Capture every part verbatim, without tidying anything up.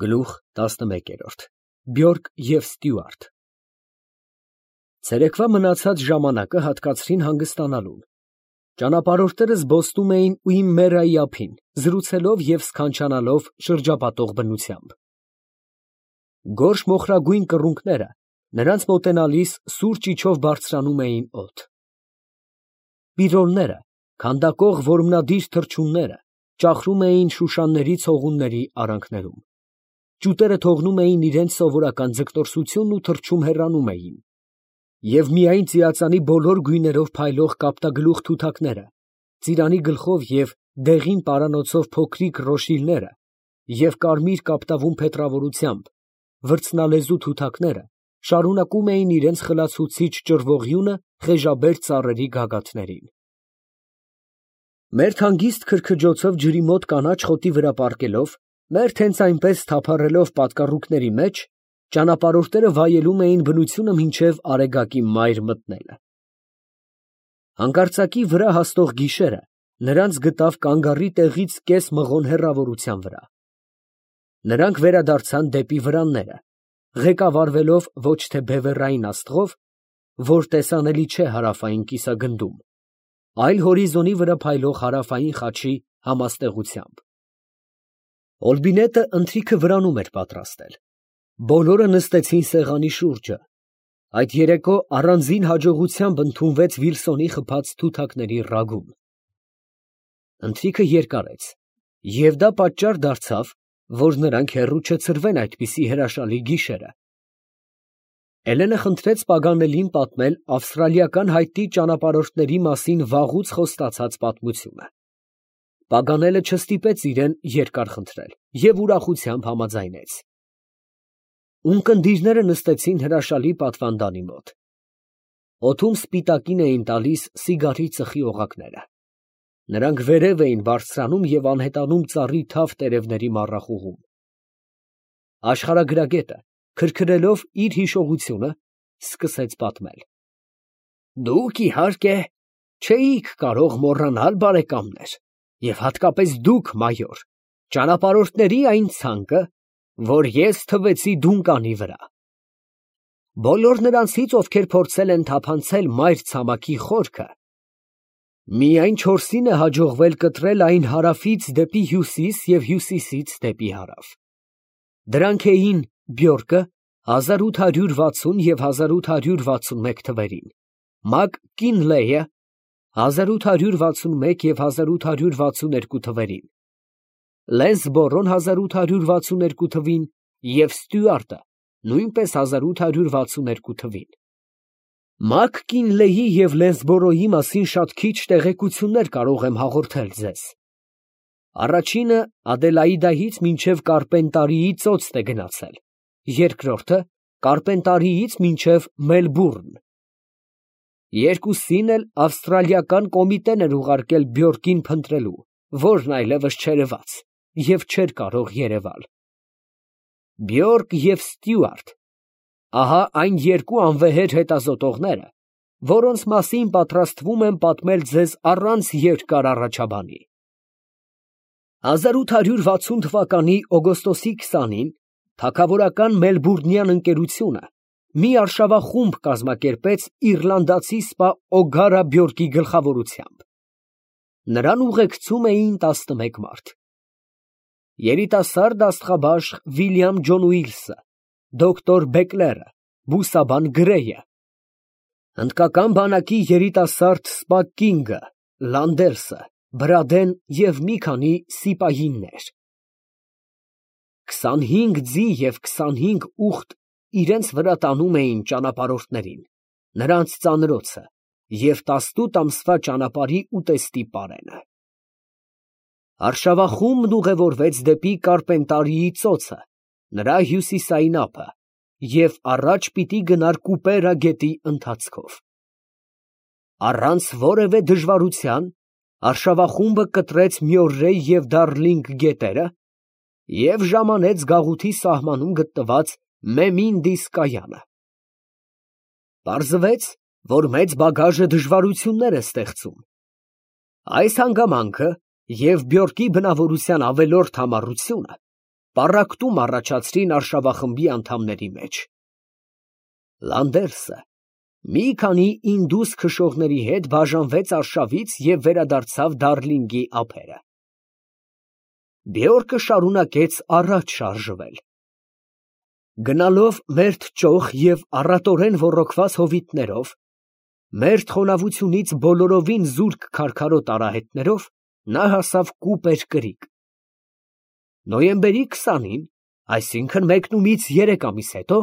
Գլուխ տասնմեկ. Բյորկ և Ստյուարտ Ցերեկվա մնացած ժամանակը հատկացրին հանգստանալուն. ճանապարհորդները զբոսնում էին Ուիմերայի ափին, զրուցելով և սքանչանալով շրջապատող բնությամբ։ Գորշ մոխրագույն կռունկները նրանց մոտենալիս սուր ճիչով բարձրանում էին օդ։ Բիրոլները, քանդակող որմնադիր թռչունները ճախրում էին շուշանների ցողունների արանքներում։ Ճուտերը թողնում էին իրենց սովորական ձգտորսությունն ու թռչում հեռանում էին։ Եվ միայն ծիածանի բոլոր գույներով փայլող կապտագլուխ թութակները, ծիրանի գլխով և դեղին պարանոցով փոքրիկ ռոշիլները և կարմիր կապտավուն փետրավորությամբ վրձնալեզու թութակները շարունակում էին իրենց խլացուցիչ ճռվողյունը խեժաբեր ծառերի գագաթներին։ Մերթ հանգիստ քրքջոցով ջրի մոտ կանաչ խոտի վրա պառկելով, մերթ հենց այնպես թափառելով պատկառուկների մեջ, ճանապարհորդները վայելում էին բնությունը մինչև Արեգակի մայր մտնելը։ Հանկարծակի վրա հասնող գիշերը նրանց գտավ կանգառի տեղից կես մղոն հեռավորության վրա։ Նրանք վերադարձան դեպի վրանները, ղեկավարվելով ոչ թե բևեռային աստղով, որ տեսանելի չէ հարավային կիսագնդում, այլ հորիզոնի վրա փայլող հարավային խաչի համաստեղությամբ։ Օլբինետը ընթրիքը վրանում էր պատրաստել։ Բոլորը նստեցին սեղանի շուրջը։ Այդ երեկո առանձին հաջողությամբ ընդունվեց Վիլսոնի խփած թութակների ռագուն։ Ընթրիքը երկարեց, և դա պատճառ դարձավ, որ նրանք հեռու չցրվեն այդպիսի հրաշալի գիշերը։ Էլենը խնդրեց Պագանելին պատմել ավստրալիական հայտնի ճանապարհորդների մասին վաղուց խոստացած պատմությունը։ Պագանելը չստիպեց իրեն երկար խնդրել և ուրախությամբ համաձայնեց։ Ունկնդիրները նստեցին հրաշալի պատվանդանի մոտ։ Օդում սպիտակին էին տալիս սիգարի ծխի օղակները։ Նրանք վերև էին բարձրանում և անհետանում ծառի թավ տերևների մառախուղում։ Աշխարհագրագետը, քրքրելով իր հիշողությունը, սկսեց պատմել. Դուք, իհարկե, չէիք կարող մոռանալ, բարեկամներ, և հատկապես դուք, մայոր, ճանապարհորդների այն ցանկը, որ ես թվեցի Դունկանի վրա։ Բոլոր նրանցից, ովքեր փորձել են թափանցել մայր ցամաքի խորքը, միայն չորսին է հաջողվել կտրել այն հարավից դեպի հյուսիս և հյուսիսից դեպի հարավ։ Դրանք էին Բյորկը հազար ութ հարյուր վաթսուն և հազար ութ հարյուր վաթսունմեկ թվերին, Մակ Կինլեյը հազար ութ հարյուր վաթսունմեկ և հազար ութ հարյուր վաթսուներկու թվերին, Լենսբորոն հազար ութ հարյուր վաթսուներկու թվին և Ստյուարտը նույնպես հազար ութ հարյուր վաթսուներկու թվին։ Մակ Կինլեյի և Լենսբորոյի մասին շատ քիչ տեղեկություններ կարող եմ հաղորդել ձեզ։ Առաջինը Ադելաիդայից մինչև Կարպենտարիի ծոցտ է գնացել, երկրորդը Կարպենտարիից մինչև Մելբուրն։ Երկուսին էլ ավստրալիական կոմիտեն էր ուղարկել Բյորկին փնտրելու, որն այլևս չերևաց և չէր կարող երևալ։ Բյորկ և Ստյուարտ, ահա այն երկու անվեհեր հետազոտողները, որոնց մասին պատրաստվում եմ պատմել ձեզ առանց երկար առաջաբանի։ հազար ութ հարյուր վաթսուն թվականի օգոստոսի քսանին թագավորական Մելբուրնյան ընկերությունը մի արշավախումբ կազմակերպեց իռլանդացի սպա Օգարա Բյորկի գլխավորությամբ։ Նրան ուղեկցում էին տասնմեկ մարդ։ Երիտասարդ աստղաբաշխ Վիլյամ Ջոն Ուիլսը, դոկտոր Բեկլերը, բուսաբան Գրեյը, հնդկական բանակի երիտասարդ սպա Կինգը, Լանդերսը, Բրադեն և մի քանի սիպահիներ։ Քսանհինգ ձի և քսանհինգ ուղտ իրենց վրա տանում էին ճանապարհորդներին, նրանց ծանրոցը և տասնութ ամսվա ճանապարհի ուտեստի պարենը։ Արշավախումբն ուղևորվեց դեպի Կարպենտարիի ծոցը, նրա հյուսիսային ափը, և առաջ պիտի գնար Կուպերա գետի ընթացքով։ Առանց որևէ դժվարության արշավախումբը կտրեց Մյորրեյ և Դարլինգ գետերը և ժամանեց գաղութի սահմանում գտնված Մեմինդիս կայանը։ Պարզվեց, որ մեծ բագաժը դժվարություններ է ստեղծում։ Այս հանգամանքը և Բյորկի բնավորության ավելորդ համառությունը պառակտում առաջացրին արշավախմբի անդամների մեջ։ Լանդերսը մի քանի ինդուս քշողների հետ բաժանվեց արշավից և վերադարձավ Դարլինգի ափերը։ Բյորկը շարունակեց առաջ շարժվել։ Գնալով մերթ ճոխ և առատորեն ոռոգված հովիտներով, մերթ խոնավությունից բոլորովին զուրկ քարքարոտ արահետներով, նա հասավ Կուպեր կրիկ։ Նոյեմբերի քսանին, այսինքն մեկնումից երեք ամիս հետո,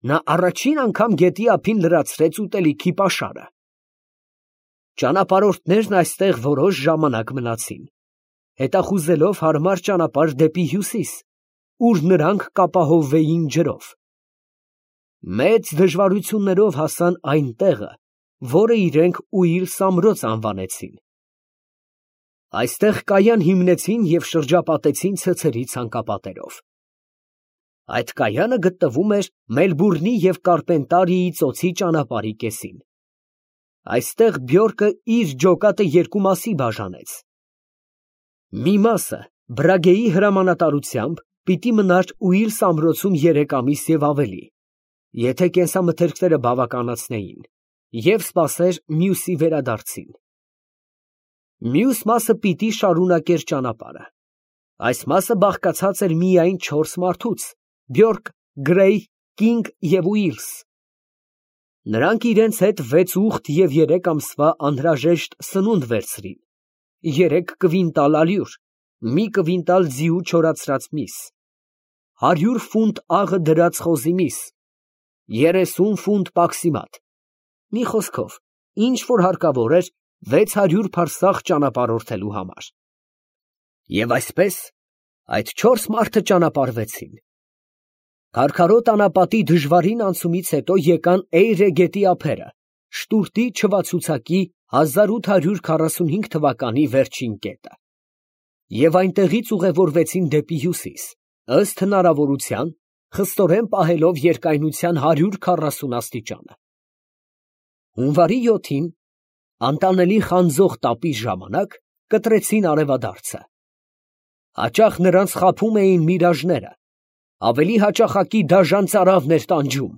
նա առաջին անգամ գետի ափին լրացրեց ուտելիքի պաշարը։ Ճանապարհորդներն այստեղ որոշ ժամանակ մնացին, հետախուզելով հարմար ճանապարհ դեպի հյուսիս, ուր նրանք կապահովվեին ջրով։ Մեծ դժվարություններով հասան այն տեղը, որը իրենք Ուիլս ամրոց անվանեցին։ Այստեղ կայան հիմնեցին և շրջապատեցին ցցերի ցանկապատերով։ Այդ կայանը գտնվում էր Մելբուրնի և Կարպենտարիի ծոցի ճանապարհի կեսին։ Այստեղ Բյորկը իր ջոկատը երկու մասի բաժանեց։ Մի մասը Բրագեի հրամանատարությամբ պիտի մնար Ուիլս ամրոցում երեք ամիս և ավելի, եթե կենսամթերքները բավականացնեին, և սպասեր մյուսի վերադարձին։ Մյուս մասը պիտի շարունակեր ճանապարհը։ Այս մասը բաղկացած էր միայն չորս մարդուց՝ Բյորկ, Գրեյ, Կինգ և Ուիլս։ Նրանք իրենց հետ վեց ուղտ և երեք ամսվա անհրաժեշտ սնունդ վերցրին, երեք կվինտալ ալյուր, մի կվինտալ ձիու չորացրած միս, հարյուր ֆունտ աղը դրած խոզի միս, երեսուն ֆունտ պաքսիմատ, մի խոսքով, ինչ որ հարկավոր էր վեց հարյուր փարսախ ճանապարհորդելու համար։ Եվ այսպես այդ չորս մարդը ճանապարհվեցին։ Քարքարոտ անապատի դժվարին անցումից հետո եկան Էյրե գետի ափերը, շտուրտի չվացուցակի հազար ութ հարյուր քառասունհինգ թվականի վերջին կետը, և այնտեղից ուղևորվեցին դեպի հյուսիս, ըստ հնարավորության, խստորեն պահելով երկայնության հարյուր քառասուն աստիճանը։ Հունվարի յոթին, անտանելի խանձող տապի ժամանակ, կտրեցին արևադարձը։ Հաճախ նրանց խաբում էին միրաժները, ավելի հաճախակի դաժան ծարավն էր տանջում,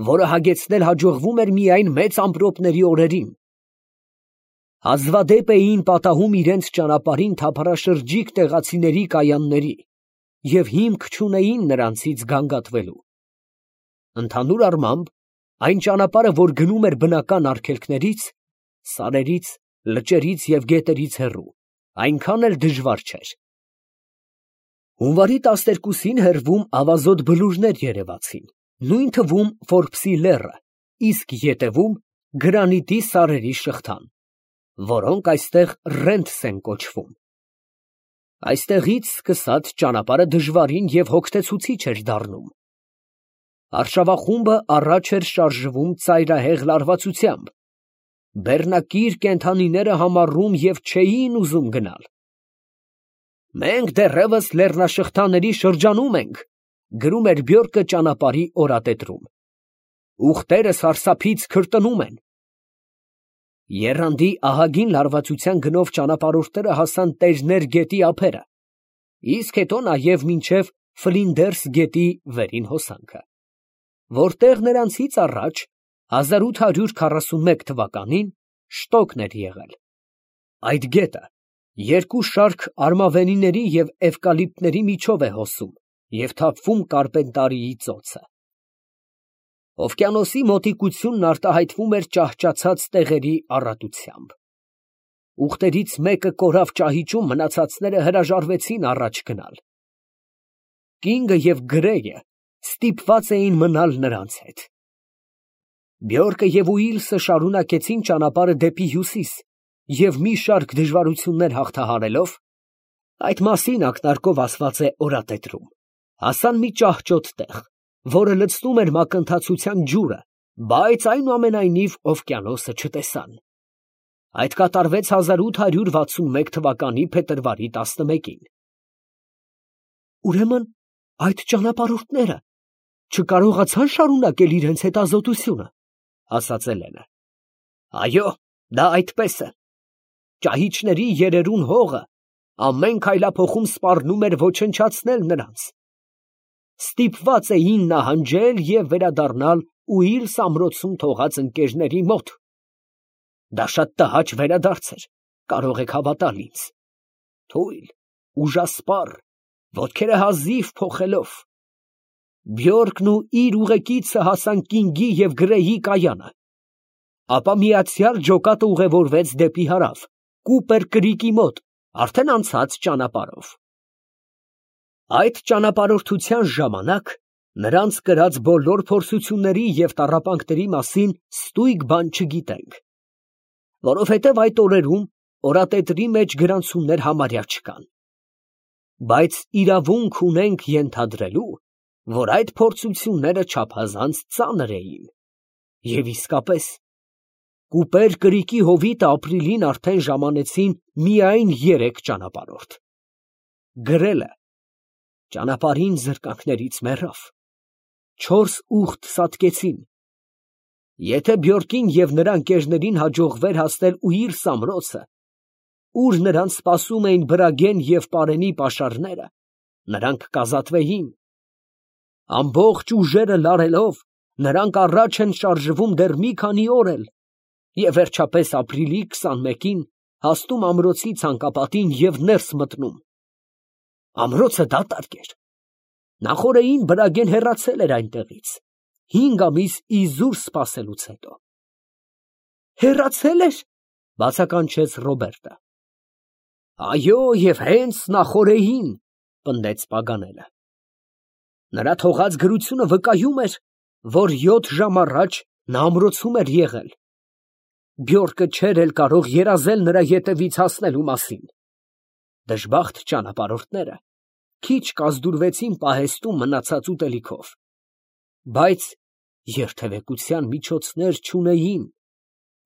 որը հագեցնել հաջողվում էր միայն մեծ ամպրոպների օրերին։ Հազվադեպ էին պատահում իրենց ճանապարհին թափառաշրջիկ տեղացիների կայանների և հիմք չունեին նրանցից գանգատվելու։ Ընդհանուր առմամբ, այն ճանապարհը, որ գնում էր բնական արգելքներից, սարերից, լճերից և գետերից հեռու, այնքան էլ դժվար չէր։ Հունվարի տասներկուսին հեռվում ավազոտ բլուրներ երևացին, նույն թվում Ֆորբսի լեռը, իսկ ետևում գրանիտի սարերի շղթան, որոնք այստեղ Ռենթս են կոչվում։ Այստեղից սկսած ճանապարհը դժվարին և հոգնեցուցիչ էր դառնում։ Արշավախումբը առաջ էր շարժվում ծայրահեղ լարվածությամբ, բեռնակիր կենդանիները համառում և չէին ուզում գնալ։ «Մենք դեռևս լեռնաշղթաների շրջանում ենք», գրում էր Բյորկը ճանապարհի օրատետրում։ «Ուղտերը սարսափից քրտնում են»։ Եռանդի ահագին լարվածության գնով ճանապարհորդները հասան Տերներ գետի ափերը, իսկ հետո նաև մինչև Ֆլինդերս գետի վերին հոսանքը, որտեղ նրանցից առաջ հազար ութ հարյուր քառասունմեկ թվականին շտոկն էր եղել։ Այդ գետը երկու շարք արմավենիների և էվկալիպտների միջով է հոսում և թափվում Կարպենտարիի ծոցը։ Օվկիանոսի մոտիկությունն արտահայտվում էր ճահճացած տեղերի առատությամբ։ Ուղտերից մեկը կորավ ճահիճում, մնացածները հրաժարվեցին առաջ գնալ։ Կինգը և Գրեյը ստիպված էին մնալ նրանց հետ։ Բյորկը և Ուիլսը շարունակեցին ճանապարհը դեպի հյուսիս և մի շարք դժվարություններ հաղթահարելով, այդ մասին ակնարկով ասված է օրատետրում, հասան մի ճահճոտ տեղ, որը լցնում էր մակընթացության ջուրը, բայց այնուամենայնիվ օվկիանոսը չտեսան։ Այդ կատարվեց հազար ութ հարյուր վաթսունմեկ թվականի փետրվարի տասնմեկին։ Ուրեմն այդ ճանապարհորդները չկարողացան շարունակել իրենց հետազոտությունը, ասաց Էլենը։ Այո, դա այդպես է։ Ճահիճների երերուն հողը ամեն քայլափոխում սպառնում էր ոչնչացնել նրանց, ստիպված էին նահանջել և վերադառնալ Ուիլս ամրոցում թողած ընկերների մոտ։ Դա շատ տհաճ վերադարձ էր, կարող եք հավատալ ինձ, թույլ, ուժասպառ, ոտքերը հազիվ փոխելով։ Բյորկն ու իր ուղեկիցը հասան Կինգի և Գրեյի կայանը, ապա միացյալ ջոկատը ուղևորվեց դեպի հարավ, Կուպեր կրիկի մոտ, արդեն անցած ճանապարհով։ Այդ ճանապարհորդության ժամանակ նրանց կրած բոլոր փորձությունների և տառապանքների մասին ստույգ բան չգիտենք, որովհետև այդ օրերում օրատետրի մեջ գրանցումներ համարյա չկան, բայց իրավունք ունենք ենթադրելու, որ այդ փորձությունները չափազանց ծանր էին, և իսկապես, Կուպեր կրիկի հովիտը ապրիլին արդեն ժամանեցին միայն երեք ճանապարհորդ։ Գրելը ճանապարհին զրկանքներից մեռավ, չորս ուղտ սատկեցին։ Եթե Բյորկին և նրա ընկերներին հաջողվեր հասնել Ուիլս ամրոցը, ուր նրանց սպասում էին Բրագեն և Պարենի պաշարները, նրանք կազատվեին։ Ամբողջ ուժերը լարելով, նրանք առաջ են շարժվում դեռ մի քանի օր էլ, և վերջապես ապրիլի քսանմեկին հասնում ամրոցի ցանկապատին և ներս մտնում։ Ամրոցը դատարկ էր։ Նախօրեին Բրագեն հեռացել էր այնտեղից, հինգ ամիս իզուր սպասելուց հետո։ Հեռացե՞լ էր, ֊ բացականչեց Ռոբերտը։ Այո, և հենց նախօրեին, ֊ պնդեց Պագանելը։ Նրա թողած գրությունը վկայում էր, որ յոթ ժամ առաջ նա ամրոցում էր եղել։ Բյորկը չէր էլ կարող երազել նրա ետևից հասնելու մասին։ Դժբախտ ճանապարհորդները քիչ կազդուրվեցին պահեստում մնացած ուտելիքով, բայց երթևեկության միջոցներ չունեին,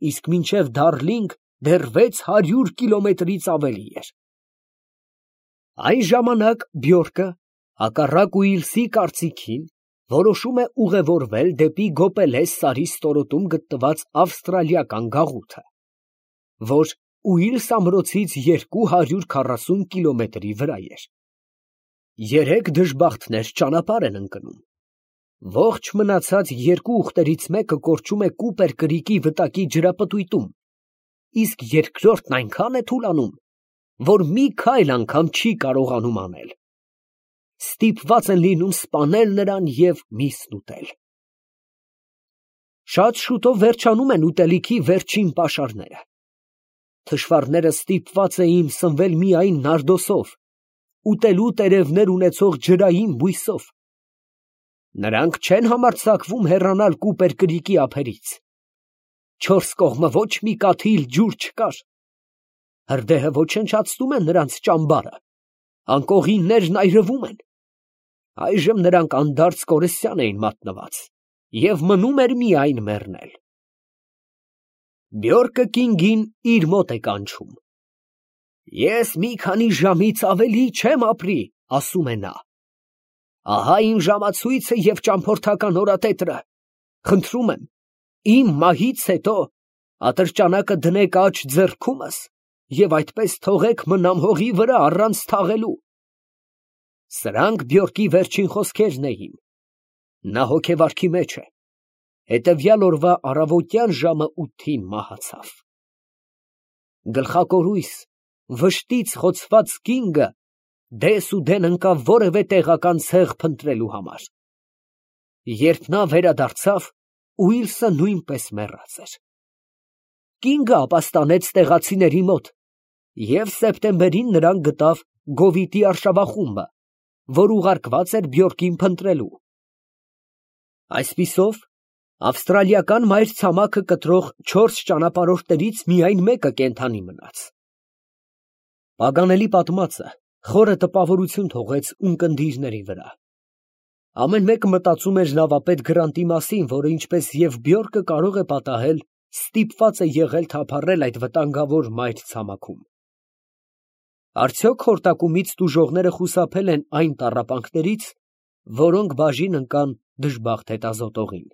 իսկ մինչև Դարլինգ դեռ վեց հարյուր կիլոմետրից ավելի էր։ Այն ժամանակ Բյորկը, հակառակ Ուիլսի կարծիքին, որոշում է ուղևորվել դեպի Գոպելես սարի ստորոտում գտնված ավստրալիական գաղութը, որ Ուիլս ամրոցից երկու հարյուր քառասուն կիլոմետրի վրա էր։ Երեք դժբախտներ ճանապարհ են ընկնում։ Ողջ մնացած երկու ուղտերից մեկը կորչում է Կուպեր կրիկի վտակի ջրապտույտում, իսկ երկրորդն այնքան է թուլանում, որ մի քայլ անգամ չի կարողանում անել։ Ստիպված են լինում սպանել նրան և միսն ուտել։ Շատ շուտով վերջանում են ուտելիքի վերջին պաշարները։ Թշվառները ստիպված էին սնվել միայն նարդոսով, ուտելու տերևներ ունեցող ջրային բույսով։ Նրանք չեն համարձակվում հեռանալ Կուպեր կրիկի ափերից։ Չորս կողմը ոչ մի կաթիլ ջուր չկար։ Հրդեհը ոչնչացնում է նրանց ճամբարը, անկողիններն այրվում են։ Այժմ նրանք անդարձ կորստյան էին մատնված, և մնում էր միայն մեռնել։ Բյորկը Կինգին իր մոտ է կանչում։ Ես մի քանի ժամից ավելի չեմ ապրի, ասում է նա։ Ահա իմ ժամացույցը և ճամփորդական օրատետրը, խնդրում եմ, իմ մահից հետո ատրճանակը դնեք աջ ձեռքումս և այդպես թողեք մնամ հողի վրա առանց թաղելու։ Սրանք Բյորկի վերջին խոսքերն էին։ Նա հոգեվարքի մեջ է։ Հետևյալ օրվա առավոտյան ժամը ութին մահացավ։ Գլխակորույս, վշտից խոցված Կինգը դես ու դեն ընկավ որևէ տեղական ցեղ փնտրելու համար։ Երբ նա վերադարձավ, Ուիլսը նույնպես մեռած էր։ Կինգը ապաստանեց տեղացիների մոտ, և սեպտեմբերին նրան գտավ Գովիտի արշավախումբը, որ ուղարկված էր Բյորկին փնտրելու։ Այսպիսով, ավստրալիական մայրցամաքը կտրող չորս ճանապարհորդներից միայն մեկը կենդանի մնաց։ Պագանելի պատմածը խորը տպավորություն թողեց ունկնդիրների վրա։ Ամեն մեկը մտածում էր նավապետ Գրանտի մասին, որը ինչպես և Բյորկը կարող է պատահել, ստիպված է եղել թափառել այդ վտանգավոր մայրցամաքում։ Արդյոք խորտակումից տուժողները խուսափել են այն տառապանքներից, որոնք բաժին ընկան դժբախտ հետազոտողին։